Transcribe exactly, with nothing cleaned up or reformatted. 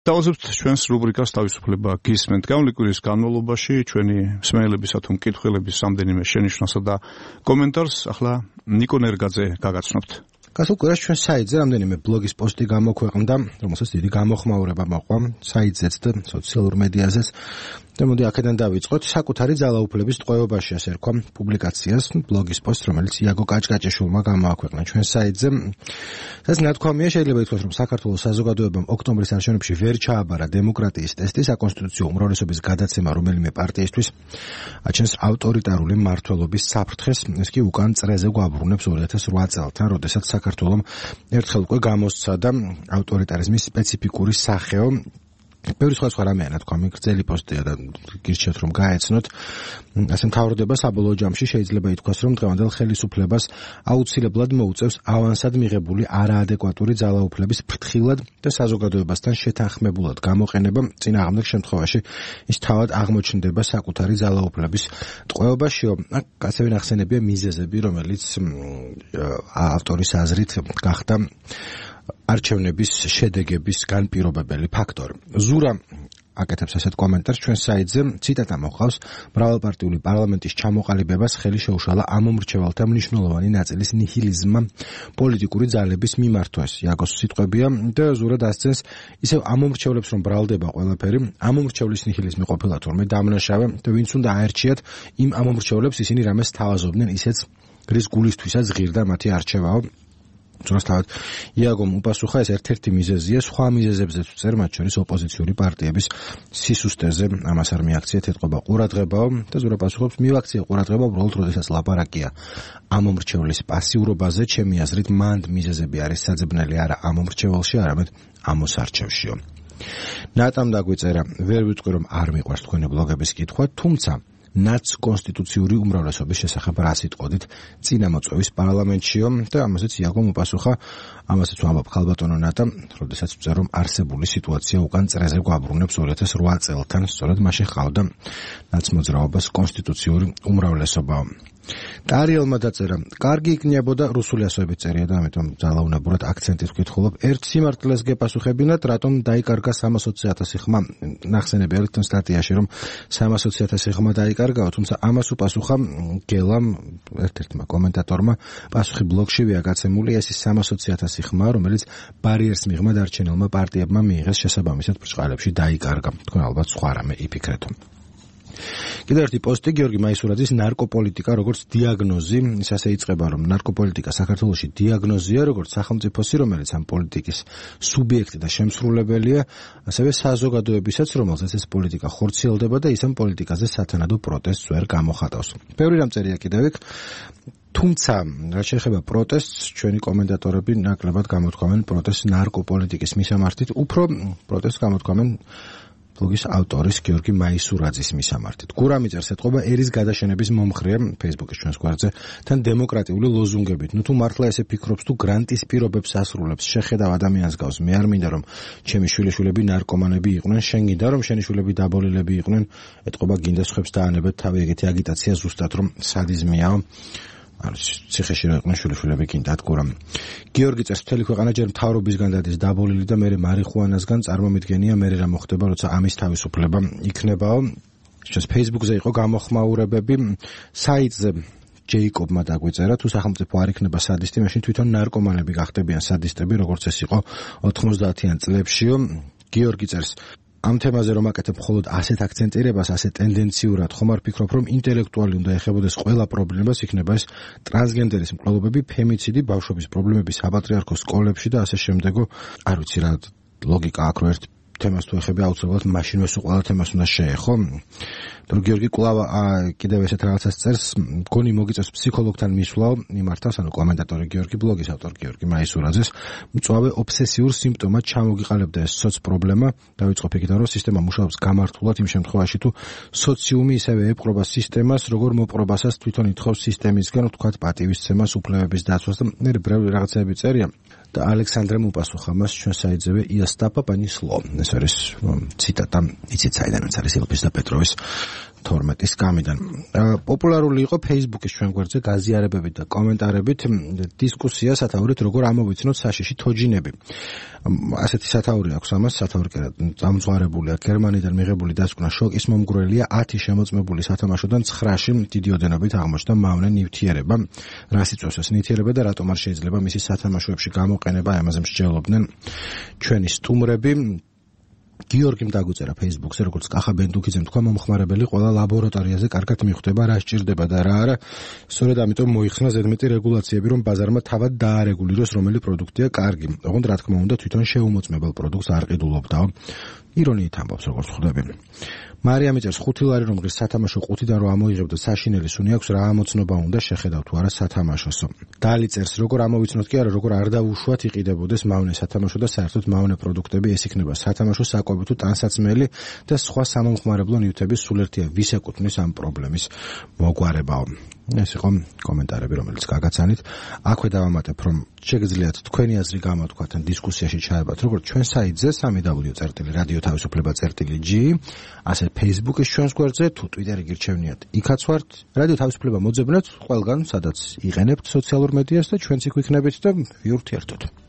დავაზებთ ჩვენს რუბრიკას თავისუფლება გისმენთ. გამოვლის კვირის განმავლობაში ჩვენი მსმენელებისა თუ მკითხველების რამდენიმე შენიშვნასა და კომენტარს ახლა ნიკო ნერგაძე გაგაცნობთ. გასულ კვირას ჩვენ საიტზე რამდენიმე ბლოგის პოსტი გამოქვეყნდა, რომელსაც დიდი გამოხმაურება მოყვა საიტზეც და სოციალურ მედიაზეც. და მოდი აქედან დავიწყოთ. საკუთარი ძალაუფლების ტყვეობაში ასე რქვა პუბლიკაციას, ბლოგის პოსტ, რომელიც იაგო კაჭკაჭიშვილმა გამოაქვეყნა ჩვენ საიტზე. ეს ნათქვამია, შეიძლება ითქვას, რომ საქართველოს საზოგადოებამ ოქტომბრის არჩევნებში ვერ ჩააბარა დემოკრატიის ტესტი, საკონსტიტუციო უმრავლესობის გადაცემა რომელიმე პარტიისთვის აჩენს ავტორიტარული მმართველობის საფრთხეს, ეს კი უკან წრეზე გვაბრუნებს ორი ათას რვა წელთან, როდესაც საქართველოს ერთხელ უკვე გამოსცა და ავტორიტარიზმის სპეციფიკური სახეო. ბევრი სხვა სხვა რამეა ნათქვამი, გრძელი პოსტია და გირჩევთ რომ გაეცნოთ. ასე მთავრდება საბოლოო ჯამში შეიძლება ითქვას, რომ დღევანდელ ხელისუფლებას აუცილებლად მოუწევს ავანსად მიღებული არაადეკვატური ძალაუფლების ფრთხილად და საზოგადოებასთან შეთანხმებულად გამოყენება. წინააღმდეგ შემთხვევაში ის თავად აღმოჩნდება საკუთარი ძალაუფლების ტყვეობაშიო. აქ ასევე ნახსენებია მიზეზები, რომელიც ავტორის აზრით გახდა არჩევნების შედეგების განპირობებელი ფაქტორი. ზურა აკეთებს ასეთ კომენტარს ჩვენ საიტზე, ციტატა მოყავს: მრავალპარტიული პარლამენტის ჩამოყალიბებას ხელი შეუშალა ამომრჩევალთა მნიშვნელოვანი ნაწილის ნიჰილიზმმა პოლიტიკური ძალების მიმართვას. იაგოს სიტყვებია და ზურა დასცენს, ისევ ამომრჩევლებს რომ ბრალდება ყველაფერი, ამომრჩევლის ნიჰილიზმი ყოფილა თურმე დამნაშავე და ვინც უნდა აერჩიათ, იმ ამომრჩევლებს ისინი რამეს თავაზობდნენ, ისეც რის გულისთვისაც ღირდა მათი არჩევაო. ზუსტად იაგომ უპასუხა, ეს ერთ-ერთი მიზეზია, სხვა მიზეზებზეც ვწერ, მათ შორის ოპოზიციური პარტიების სისუსტეზე, ამას არ მიაქციეთ, ეთყობა ყურადღებაო და ზურა პასუხობს, მივაქციე ყურადღება უბრალოდ როდესაც ლაპარაკია ამომრჩევლის პასიურობაზე, ჩემი აზრით მანდ მიზეზები არის საძებნელი არა ამომრჩეველში, არამედ ამოსარჩევშიო. ნატამ დაგვიწერა, ვერ ვიტყვი რომ არ მიყვარს თქვენი ბლოგების კითხვა, თუმცა ნაცკონსტიტუციური უმრავლესობის შესახებ რა სიტყოდით წინამოწვევის პარლამენტშიო და ამაზეც იაგომ უპასუხა, ამასაც ვამბობ ხალბატონო ნატა, როდესაც ვწერ რომ არსებული სიტუაცია უკან წრეზე გვაბრუნებს ორი ათას რვა წელთან, სწორედ მაშინ ხავდა ნაცმოძრაობას კონსტიტუციური უმრავლესობაო. ტარიელმა დაწერა, კარგი იქნებოდა რუსული ასოებით წერია და ამიტომ ძალაუნებურად აქცენტით ვკითხულობ, ერთ სიმართლეს გეპასუხებინათ, რატომ დაიკარგა სამას ოცი ათასი ხმა. ნახსენებია ლითონ სტატიაში, რომ სამას ოცი ათასი ხმა დაიკარგა, თუმცა ამას უპასუხა გელამ, ერთ-ერთმა კომენტატორმა, პასუხი ბლოგშივეა გაცემული, ეს ის სამას ოცი ათასი ხმა, რომელიც ბარიერს მიღმა დარჩენილმა პარტიებმა მიიღეს, შესაბამისად ბრჭყალებში დაიკარგა. თქვენ ალბათ სხვა რამე იფიქრეთო. კიდევ ერთი პოსტი, გიორგი მაისურაძის ნარკოპოლიტიკა როგორც დიაგნოზი, ის ასე იწყება, რომ ნარკოპოლიტიკა საქართველოში დიაგნოზია, როგორც სახელმწიფოსი, რომელიც ამ პოლიტიკის სუბიექტი და შემსრულებელია, ასევე საზოგადოებისაც, რომელსაც ეს პოლიტიკა ხორციელდება და ის ამ პოლიტიკაზე სათანადო პროტესტს ვერ გამოხატავს. ბევრი რამ წერია კიდევ იქ, თუმცა, რაც შეეხება პროტესტს, ჩვენი კომენტატორები ნაკლებად გამოთქვამენ პროტესტს ნარკოპოლიტიკის მისამართით, უფრო პროტესტს გამოთქვამენ ბლოგის ავტორის გიორგი მაისურაძის მისამართით. გურამი წერს, ეთყობა ერის გადაშენების მომხრეა Facebook-ის ჩვენს გვერდზე, თან დემოკრატიული ლოზუნგებით. ნუ თუ მართლა ესე ფიქრობს, თუ გრანტის პირობებს ასრულებს, შეხედავ ადამიანს გავს, მე არ მინდა რომ ჩემი შვილიშვილები ნარკომანები იყვნენ, შენ გინდა რომ შენი შვილები დაბოლილები იყვნენ, ეთყობა გინდა სხვებს დაანებეთ თავი, ეგეთი აგიტაცია ზუსტად რომ სადიზმიაო. არის ციხეში რა იყვნენ შვილიშვილები გინდათ გურამ. გიორგი წერს, მთელი ქვეყანა ჯერ მთავრობისგან დადის დაბოლილი და მერე მარიხუანასგან წარმომიდგენია, მერე რა მოხდება, როცა ამის თავისუფლება იქნებაო. сейчас Facebook-ზე იყო გამოხმაურებები, საიტზე ჯეიკობმა დაგვიწერა, თუ სახელმწიფო არ იქნება სადისტი, მაშინ თვითონ ნარკომანები გახდებიან სადისტები, როგორც ეს იყო ოთხმოცდაათიან წლებშიო. გიორგი წერს, ამ თემაზე რომ აკეთებ მხოლოდ ასეთ აქცენტირებას, ასეთ ტენდენციურად, ხომ არ ფიქრობ, რომ ინტელექტუალი უნდა ეხებოდეს ყველა პრობლემას, იქნება ეს ტრანსგენდერის მკვლელობები, ფემიციდი, ბავშვობის პრობლემები საპატრიარქოს სკოლებში და ასე შემდეგო. არ ვიცი რა ლოგიკა აქ რო ერთ თემას თუ ეხები, აუცილებლად მაშინვე სულ ყველა თემას უნდა შეეხო. თუ გიორგი კვლავ კიდევ ესეთ რაღაცას წერს, მგონი მოგიწევს ფსიქოლოგთან მისვლაო, იმართავს, ანუ კომენტატორი გიორგი, ბლოგის ავტორი გიორგი მაისურაძეს, მწვავე ობსესიურ სიმპტომად ჩამოგიყალიბდა ეს სოც პრობლემა, დავიწყოთ იქიდან, რომ სისტემა მუშაობს გამართულად იმ შემთხვევაში, თუ სოციუმი ისევე ეპყრობა სისტემას, როგორ მოპყრობასაც თვითონ ითხოვს სისტემისგან, ვთქვათ, პატივისცემას, უფლებების დაცვას და მე ბევრი რაღაცები წერია. და ალექსანდრემ უპასუხა მას ჩვენ საიტზევე იასტაპა პანისლო. ეს არის ციტატა, იცით საიდანაც არის ელფის და პეტროვის თორმეტის გამიდან. პოპულარული იყო Facebook-ის ჩვენ გვერდზე გაზიარებებით და კომენტარებით დისკუსია სათაურით როგორ ამოვიცნოთ საშიში თოჯინები. ასეთი სათაური აქვს ამას, სათაური კი დამძღვარებულია გერმანიდან მიღებული დასკვნა შოკის მომგვრელია ათი შემოწმებული სათამაშოდან ცხრაში დიდი ოდენობით აღმოჩნდა მავნე ნივთიერება. რას იწვევს ეს ნივთიერება და რატომ არ შეიძლება მისი სათამაშოებში გამოყენება, ამაზე მსჯელობდნენ ჩვენი სტუმრები. გიორგიმ დაგვიწერა Facebook-ზე, როგორც კახა ბენდუქიძემ თქვა, მომხმარებელი ყველა ლაბორატორიაზე კარგად მიხვდება, რა სჭირდება და რა არა. სწორედ ამიტომ მოიხსნა ზედმეტი რეგულაციები, რომ ბაზარმა თავად დაარეგულიროს, რომელი პროდუქტია კარგი. ოღონდ რა თქმა უნდა, თვითონ შეუმოწმებელ პროდუქტს არ ყიდულობდაო. ირონიით ამბობს, როგორც ხვდები. მარიამი წერს ხუთი ლარი რომ ღირს სათამაშო ყუთიდან რომ ამოიღებდა საშინელი სუნი აქვს, რა ამოცნობა უნდა შეხედავ თუ არა სათამაშოსო. დალი წერს, როგორ ამოვიცნოთ კი არა, როგორ არ დაუშვათ იყიდებოდეს მავნე სათამაშო და საერთოდ მავნე პროდუქტები, ეს იქნება სათამაშო საკვები თუ ტანსაცმელი და სხვა სამომხმარებლო ნივთების სულ ერთია, ვის ეკუთვნის ამ პრობლემის მოგვარებაო. ეს იყო კომენტარები, რომელიც გაგაცანით. აქვე დავამატებ, რომ შეგიძლიათ თქვენი აზრი გამოთქვათ ან დისკუსიაში ჩაებათ, როგორც ჩვენ საიტზე სამი დაბლიუ წერტილი რადიო თავისუფლება წერტილი ჯი, ასე Facebook-ის ჩვენს გვერდზე, თუ Twitter-ი გირჩევნიათ, იქაც ვართ. რადიო თავისუფლება მოძებნეთ ყველგან, სადაც იყენებთ სოციალურ მედიას და ჩვენც იქ ვიქნებით და ვიურთიერთოთ.